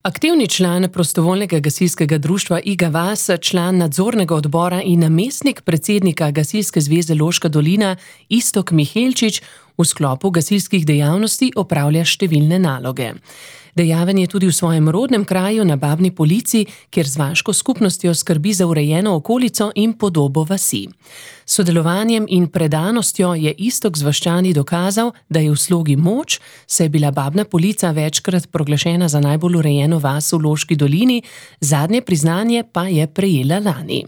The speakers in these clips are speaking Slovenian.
Aktivni član prostovoljnega gasilskega društva Iga Vas, član nadzornega odbora in namestnik predsednika Gasilske zveze Loška dolina Iztok Mihelčič v sklopu gasilskih dejavnosti opravlja številne naloge. Dejaven je tudi v svojem rodnem kraju na Babni Polici, kjer z vaško skupnostjo skrbi za urejeno okolico in podobo vasi. S sodelovanjem in predanostjo je Iztok z vaščani dokazal, da je v slogi moč, saj je bila Babna Polica večkrat proglašena za najbolj urejeno vas v Loški dolini, zadnje priznanje pa je prejela lani.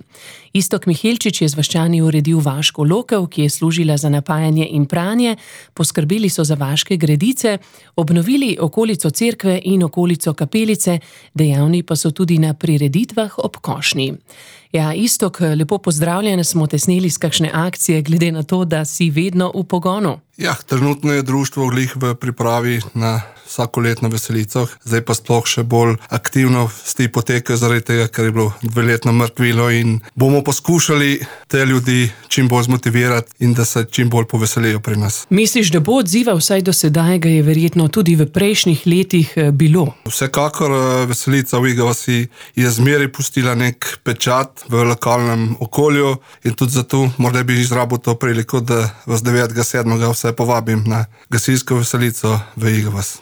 Iztok Mihelčič je z vaščani uredil vaško lokev, ki je služila za napajanje in pranje, poskrbeli so za vaške gredice, obnovili okolico cerkve in okolico kapelice, dejavni pa so tudi na prireditvah ob košnji. Ja, Iztok, lepo pozdravljen, smo te sneli s kakšne akcije, glede na to, da si vedno v pogonu. Ja, trenutno je društvo glih v pripravi na vsakoletno veselico, zdaj pa sploh še bolj aktivno sti potekajo zaradi tega, ker je bilo 2-letno mrtvilo in bomo poskušali te ljudi čim bolj zmotivirati in da se čim bolj poveselijo pri nas. Misliš, da bo odziva, vsaj do sedaj ga je verjetno tudi v prejšnjih letih bilo? Vsekakor veselica v Iga Vasi je zmeraj pustila nek pečat v lokalnem okolju in tudi zato morda bi izrabil to priliko, da vas 9.7. vse povabim na gasilsko veselico v Iga Vas.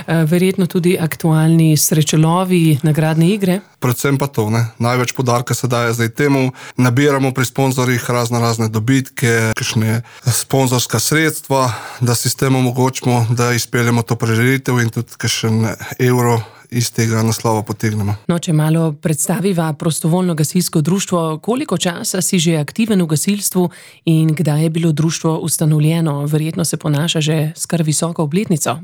Verjetno tudi aktualni srečelovi, nagradne igre? Predvsem pa to, ne. Največ poudarka se daje zdaj temu, nabiramo pri sponzorjih razne dobičke, kakšne sponzorska sredstva, da si s tem omogočimo, da izpeljemo to prireditev in tudi kakšen evro iz tega naslova potegnemo. No, če malo predstaviva prostovoljno gasilsko društvo, koliko časa si že aktiven v gasilstvu in kdaj je bilo društvo ustanovljeno? Verjetno se ponaša že s kar visoko obletnico.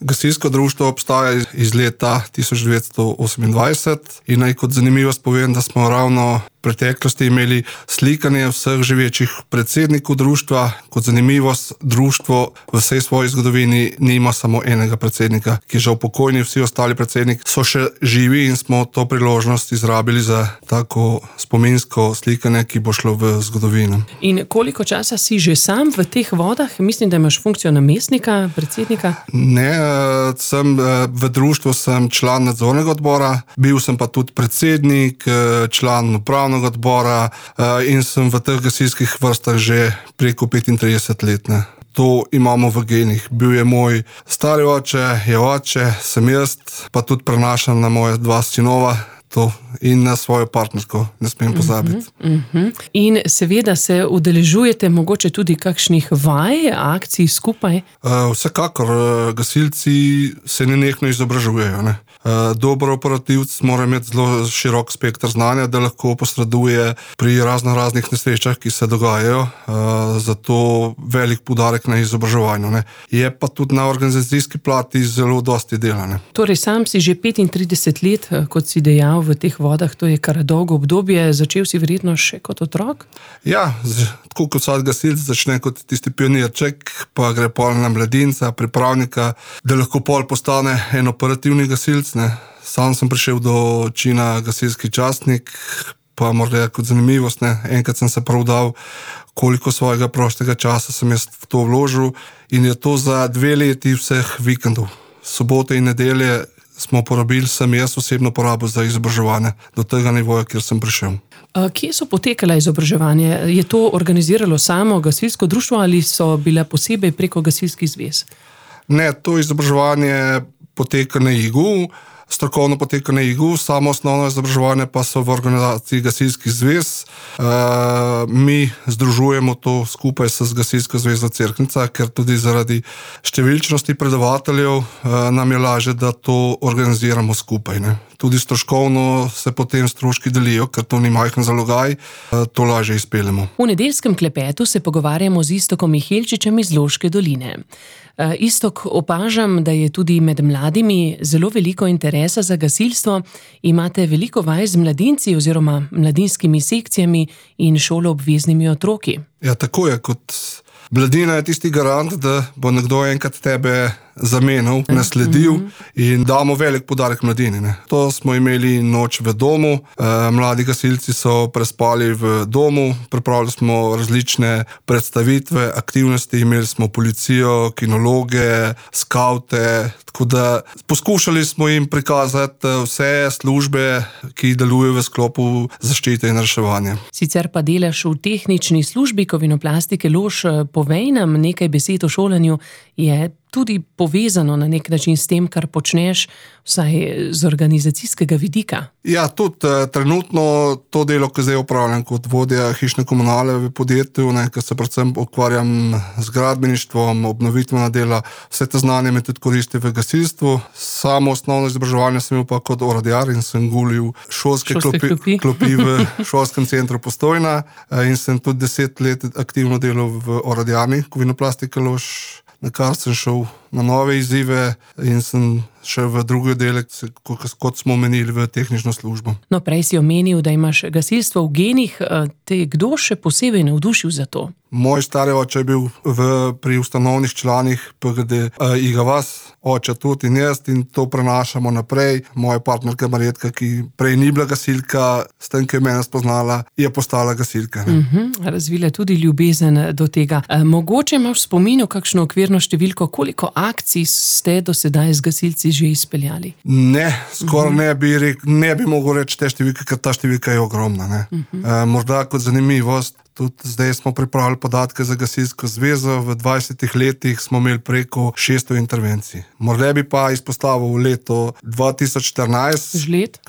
Gasilsko društvo obstaja iz leta 1928 in naj kot zanimivost povem, da smo ravno v preteklosti imeli slikanje vseh živečih predsednikov društva. Kot zanimivost, društvo v vsej svoji zgodovini nima samo enega predsednika, ki je žal pokojni, vsi ostali predsedniki so še živi in smo to priložnost izrabili za tako spominsko slikanje, ki bo šlo v zgodovino. In koliko časa si že sam v teh vodah? Mislim, da imaš funkcijo namestnika, predsednika? Ne, v društvu sem član nadzornega odbora, bil sem pa tudi predsednik, član upravnega odbora in sem v teh gasilskih vrstah že preko 35 let. Ne. To imamo v genih. Bil je moj stari oče, je oče, sem jaz, pa tudi prenašam na moje 2 sinova. To in na svojo partnerko, ne smem pozabiti. In seveda se udeležujete mogoče tudi kakšnih vaj, akcij skupaj? Vsekakor, gasilci se nenehno izobražujejo. Ne? Dober operativc mora imeti zelo širok spekter znanja, da lahko posreduje pri raznih nesrečah, ki se dogajajo, zato velik poudarek na izobraževanju. Ne? Je pa tudi na organizacijski plati zelo dosti dela. Ne? Torej, sam si že 35 let, kot si dejal, v teh vodah, to je kar dolgo obdobje, začel si verjetno še kot otrok? Ja, tako kot vsak gasilec začne kot tisti pionirček, pa gre pol na mladinca, pripravnika, da lahko pol postane en operativni gasilec. Ne. Sam sem prišel do čina gasilski častnik, pa morda kot zanimivost, ne. Enkrat sem se prav dal, koliko svojega prostega časa sem jaz v to vložil in je to za 2 leti vseh vikendov. Sobote in nedelje smo porabili, sem jaz osebno porabil za izobraževanje do tega nivoja, kjer sem prišel. Kje so potekala izobraževanje? Je to organiziralo samo gasilsko društvo ali so bile posebej preko gasilskih zvez? Ne, to izobraževanje poteka na Igu, strokovno poteka na Igu, samo osnovno izobraževanje pa so v organizaciji gasilskih zvez. Mi združujemo to skupaj s Gasilsko zvezo Cerknica, ker tudi zaradi številčnosti predavateljev nam je lažje, da to organiziramo skupaj. Ne. Tudi stroškovno se potem stroški delijo, ker to ni majhen zalogaj, to lažje izpeljemo. V nedeljskem klepetu se pogovarjamo z Iztokom Mihelčičem iz Loške doline. Iztok, opažam, da je tudi med mladimi zelo veliko interesa za gasilstvo. Imate veliko vaj z mladinci oziroma mladinskimi sekcijami in šoloobveznimi otroki. Ja, tako je. Kot mladina je tisti garant, da bo nekdo enkrat tebe zamenjal, nasledil in damo velik poudarek mladini. Ne. To smo imeli noč v domu, mladi gasilci so prespali v domu, pripravili smo različne predstavitve, aktivnosti, imeli smo policijo, kinologe, skavte, tako da poskušali smo jim prikazati vse službe, ki delujejo v sklopu zaščite in reševanja. Sicer pa delaš v tehnični službi Kovinoplastike Lož, povej nam nekaj besed o šolanju, je tudi povezano na nek način s tem, kar počneš, vsaj z organizacijskega vidika. Ja, tudi trenutno to delo, ki zdaj opravljam kot vodja hišne komunale v podjetju, ker se predvsem ukvarjam z gradbeništvom, obnovitvena dela, vse te znanje me tudi koristi v gasilstvu. Samo osnovno izobraževanje sem imel pa kot orodjar in sem gulil šolske klopi v šolskem centru Postojna in sem tudi 10 let aktivno delal v orodjarni Kovinoplastike Lož, na kar sem šel na nove izzive in sem šel v drugi oddelek, kot smo omenili, v tehnično službo. No, prej si omenil, da imaš gasilstvo v genih. Te kdo še posebej navdušil za to? Moj stari oče je bil pri ustanovnih članih PGD Igavas, oče tudi in jaz, in to prenašamo naprej. Moja partnerka Marjetka, ki prej ni bila gasilka, s tem, ki je mene spoznala, je postala gasilka. Razvila tudi ljubezen do tega. Mogoče imaš v spominu kakšno okvirno številko, koliko akcij ste do sedaj z gasilci že izpeljali? Ne, skoraj ne bi mogel reči te številke, ker ta številka je ogromna. Ne. Morda kot zanimivost, tudi zdaj smo pripravili podatke za Gasilsko zvezo, v 20 letih smo imeli preko 600 intervencij. Morda bi pa izpostavil leto 2014.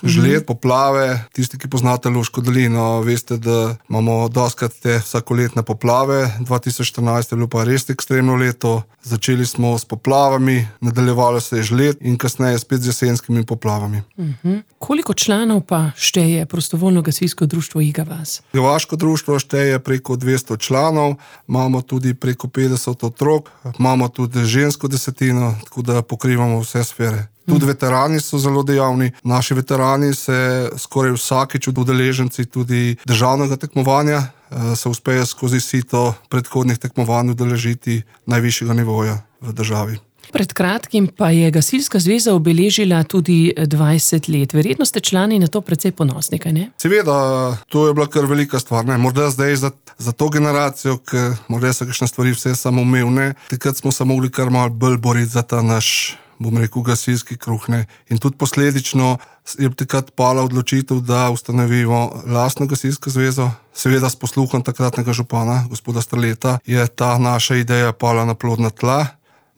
Žled, poplave. Tisti, ki poznate Loško dolino, veste, da imamo dostikrat te vsakoletne poplave. 2014 je bilo pa res ekstremno leto. Začeli smo s poplavami, nadaljevalo se je žled in kasneje spet z jesenskimi poplavami. Koliko članov pa šteje prostovoljno gasilsko društvo Igavas? Igavaško društvo šteje preko 200 članov, imamo tudi preko 50 otrok, imamo tudi žensko desetino, tako da pokrivamo vse sfere. Tudi veterani so zelo dejavni. Naši veterani se skoraj vsakič udeleženci tudi državnega tekmovanja se uspejo skozi sito predhodnih tekmovanj udeležiti najvišjega nivoja v državi. Pred kratkim pa je Gasilska zveza obeležila tudi 20 let. Verjetno ste člani na to precej ponosni, kaj ne? Seveda, to je bila kar velika stvar. Ne? Morda zdaj za to generacijo, ker morda so kakšne stvari vse samoumevne, takrat smo se mogli kar malo bolj boriti za ta naš, bom rekel, gasilski kruh. Ne? In tudi posledično je takrat pala odločitev, da ustanovimo lastno gasilsko zvezo. Seveda s posluhom takratnega župana, gospoda Strleta, je ta naša ideja pala na plodna tla.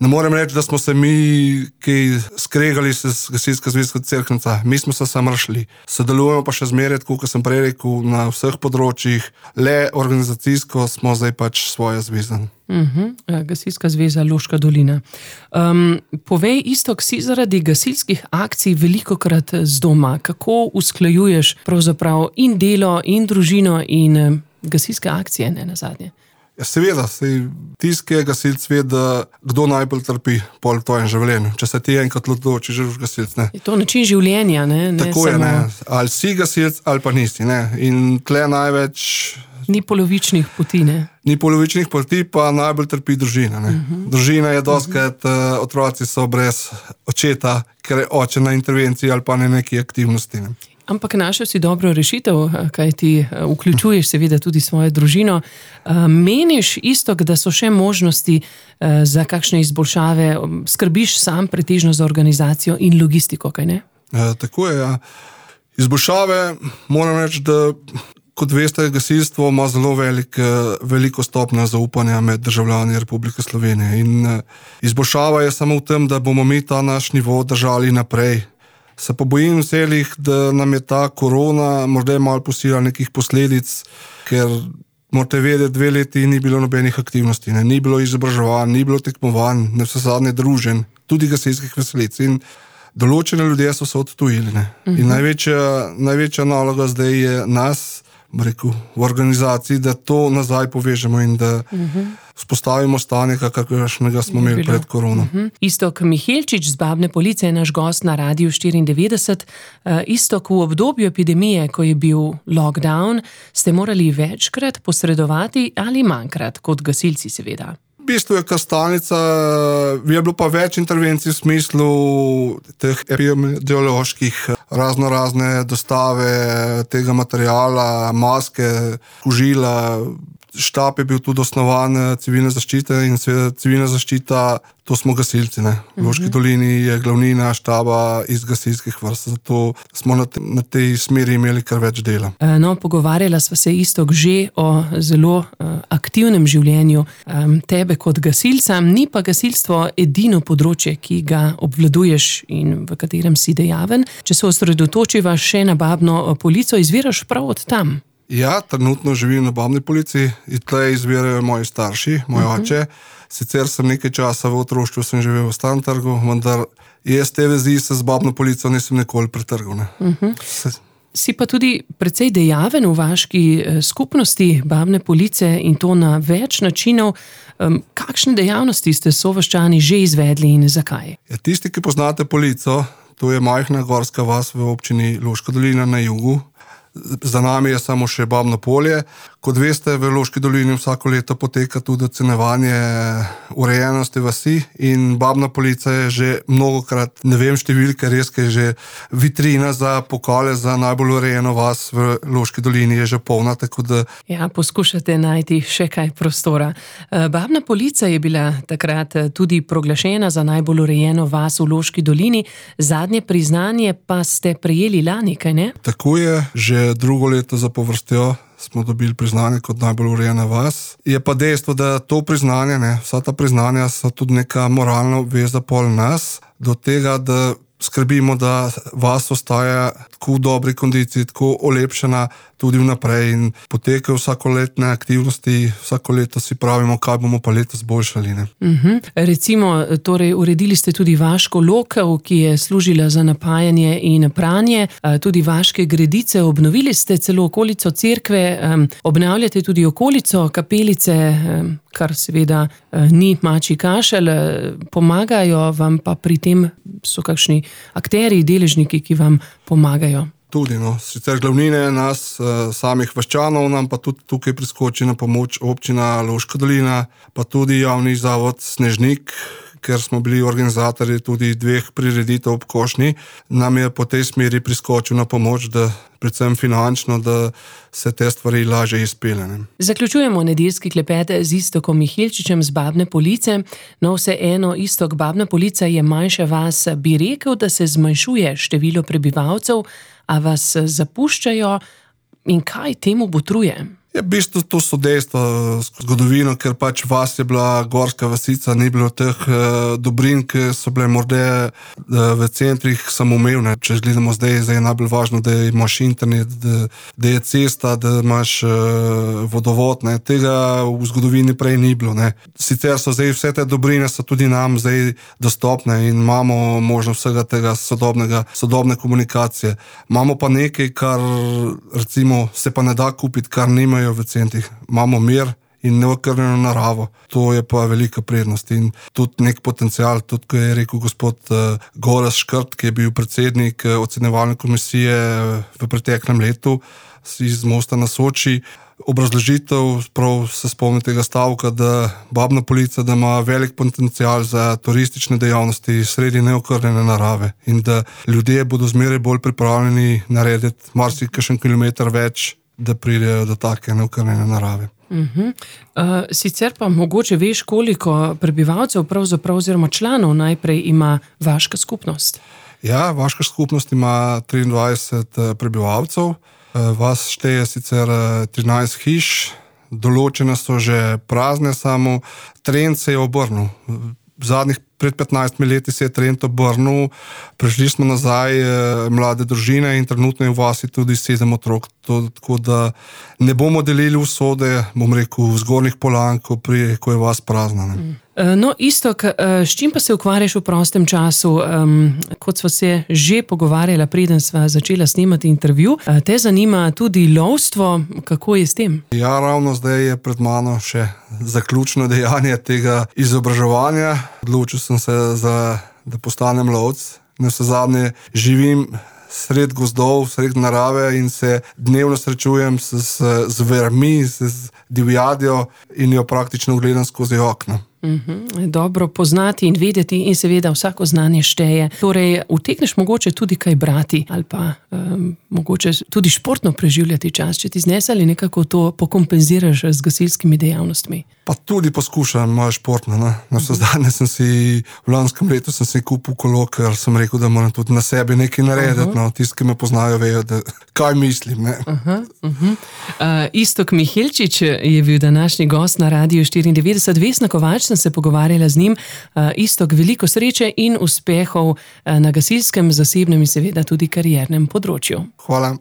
Ne morem reči, da smo se mi kaj skregali s Gasilsko zvezo Cerknica. Mi smo se samo rešili. Sodelujemo pa še zmeraj, tako kot sem prej rekel, na vseh področjih. Le organizacijsko smo zdaj pač svoja zveza. Gasilska zveza Loška dolina. Povej, Iztok, si zaradi gasilskih akcij velikokrat z doma. Kako usklajuješ pravzaprav in delo, in družino, in gasilske akcije, ne nazadnje? Ja, seveda, tisti, ki je gasilc, ve, da kdo najbolj trpi pol v tvojem življenju. Če se ti enkrat odločiš, že boš gasilc, ne. Je to način življenja, ne? Tako je, ne. Ali si gasilc, ali pa nisi, ne. In tle največ... Ni polovičnih poti, ne. Ni polovičnih poti, pa najbolj trpi družina, ne. Družina je dostikrat, otroci so brez očeta, ker je oče na intervenciji ali pa na neki aktivnosti, ne. Ampak našel si dobro rešitev, kaj ti vključuješ seveda tudi svojo družino. Meniš, Iztok, da so še možnosti za kakšne izboljšave? Skrbiš sam pretežno za organizacijo in logistiko, kaj ne? Tako je, ja. Izboljšave, moram reči, da kot veste, gasilstvo ima zelo veliko stopnjo zaupanja med državljani Republike Slovenije. In izboljšava je samo v tem, da bomo mi ta naš nivo držali naprej. Se pa bojim vselih, da nam je ta korona morda malo pustila nekih posledic, ker morate vedeti, 2 leti ni bilo nobenih aktivnosti, ne? Ni bilo izobraževanj, ni bilo tekmovanj, ne vse zadnje druženj, tudi gasilskih veselic. In določene ljudje so se odtujili. Ne? In največja naloga zdaj je nas, rekel, v organizaciji, da to nazaj povežemo in da vzpostavimo stanje, kakršnega smo imeli pred korono. Iztok Mihelčič z Babne Police je naš gost na Radiu 94. Iztok, v obdobju epidemije, ko je bil lockdown, ste morali večkrat posredovati ali manjkrat, kot gasilci seveda? V bistvu je kar stalnica, je bilo pa več intervencij v smislu teh epidemioloških, razne dostave tega materiala, maske, kožila. Štab je bil tudi osnovan civilne zaščite in civilna zaščita, to smo gasilci. V Loški dolini je glavnina štaba iz gasilskih vrst, zato smo na tej smeri imeli kar več dela. No, pogovarjala sva se Iztok že o zelo aktivnem življenju tebe kot gasilca, ni pa gasilstvo edino področje, ki ga obvladuješ in v katerem si dejaven. Če se osredotočiva še na Babno Polico, izviraš prav od tam. Ja, trenutno živim na Babni Polici in tle izvirajo moji starši, moj oče. Sicer sem nekaj časa v otroštvu sem živel v Starem trgu, vendar jaz te vezi se z Babno Polico nisem nikoli pretrgal. Si pa tudi precej dejaven v vaški skupnosti Babne Police in to na več načinov. Kakšne dejavnosti ste sovaščani že izvedli in zakaj? Ja, tisti, ki poznate Polico, to je majhna gorska vas v občini Loška dolina na jugu. Za nami je samo še Babno Polje. Kot veste, v Loški dolini vsako leto poteka tudi ocenjevanje urejenosti vasi in Babna Polica je že mnogokrat, ne vem številke, res je že vitrina za pokale za najbolj urejeno vas v Loški dolini je že polna, tako da... Ja, poskušate najti še kaj prostora. Babna Polica je bila takrat tudi proglašena za najbolj urejeno vas v Loški dolini, zadnje priznanje pa ste prejeli lani, kaj ne? Tako je, že drugo leto zapovrstjo smo dobili priznanje kot najbolj urejena vas. Je pa dejstvo, da to priznanje, vsa ta priznanja so tudi neka moralna obveza pol nas, do tega, da skrbimo, da vas ostaja tako v dobri kondiciji, tako olepšana tudi vnaprej in potekajo vsakoletne aktivnosti, vsako leto si pravimo, kaj bomo pa letos boljšali. Recimo, torej uredili ste tudi vaško lokev, ki je služila za napajanje in pranje, tudi vaške gredice, obnovili ste celo okolico cerkve, obnavljate tudi okolico kapelice, kar seveda ni mačji kašelj, pomagajo vam pa pri tem so kakšni akterji, deležniki, ki vam pomagajo. Tudi, sicer glavnine nas, samih vaščanov, nam pa tudi tukaj priskoči na pomoč občina Loška dolina, pa tudi javni zavod Snežnik, ker smo bili organizatorji tudi 2 prireditev ob Košnji, nam je po tej smeri priskočil na pomoč, da predvsem finančno, da se te stvari lažje izpelje. Zaključujemo nedeljski klepet z Istokom Mihelčičem z Babne Police. No, vseeno, Istok, Babna Polica je manjša vas, bi rekel, da se zmanjšuje število prebivalcev, a vas zapuščajo in kaj temu botruje? V bistvu to so dejstva zgodovino, ker pač vas je bila gorska vasica, ni bilo teh dobrin, ki so bile morda v centrih samoumevne. Če gledamo zdaj je najbolj važno, da imaš internet, da je cesta, da imaš vodovod. Tega v zgodovini prej ni bilo. Sicer so zdaj vse te dobrine so tudi nam zdaj dostopne in imamo možnost vsega tega sodobne komunikacije. Imamo pa nekaj, kar recimo se pa ne da kupiti, kar nimajo v centrih. Imamo mir in neokrnjeno naravo. To je pa velika prednost in tudi nek potencial, tudi ko je rekel gospod Gorazd Škrt, ki je bil predsednik ocenjevalne komisije v preteklem letu iz Mosta na Soči. Obrazložitev, prav se spomnim tega stavka, da Babna Polica, da ima velik potencial za turistične dejavnosti sredi neokrnjene narave in da ljudje bodo zmeraj bolj pripravljeni narediti marsikakšen kilometer več, da pridejo do take neokrnjene narave. Sicer pa mogoče veš, koliko prebivalcev pravzaprav oziroma članov najprej ima vaška skupnost? Ja, vaška skupnost ima 23 prebivalcev. Vas šteje sicer 13 hiš, določene so že prazne, samo trend se je obrnil. Pred 15 leti se je trend obrnil, prišli smo nazaj mlade družine in trenutno je v vasi tudi 7 otrok. Tako da ne bomo delili usode, bom rekel, v Zgornjih Polan, ko je vas prazna. No, Istok, s čim pa se ukvarjaš v prostem času? Kot sva se že pogovarjala, preden sva začela snemati intervju, te zanima tudi lovstvo, kako je s tem? Ja, ravno zdaj je pred mano še zaključno dejanje tega izobraževanja. Odločil sem se, da postanem lovec. Navsezadnje živim sred gozdov, sred narave in se dnevno srečujem z zvermi, z divjadjo in jo praktično gledam skozi okno. Dobro poznati in vedeti in seveda vsako znanje šteje. Torej, utegneš mogoče tudi kaj brati ali pa mogoče tudi športno preživljati čas, če ti znese ali nekako to pokompenziraš z gasilskimi dejavnostmi? Pa tudi poskušam malo športno. Navsezadnje sem si v lanskem letu kupil kolo, ker sem rekel, da moram tudi na sebi nekaj narediti. Tisti, ki me poznajo, vejo, kaj mislim. Iztok Mihelčič je bil današnji gost na Radiu 94. Vesna Kovač, sem se pogovarjala z njim. Iztok, veliko sreče in uspehov na gasilskem, zasebnem in seveda tudi kariernem področju. Hvala.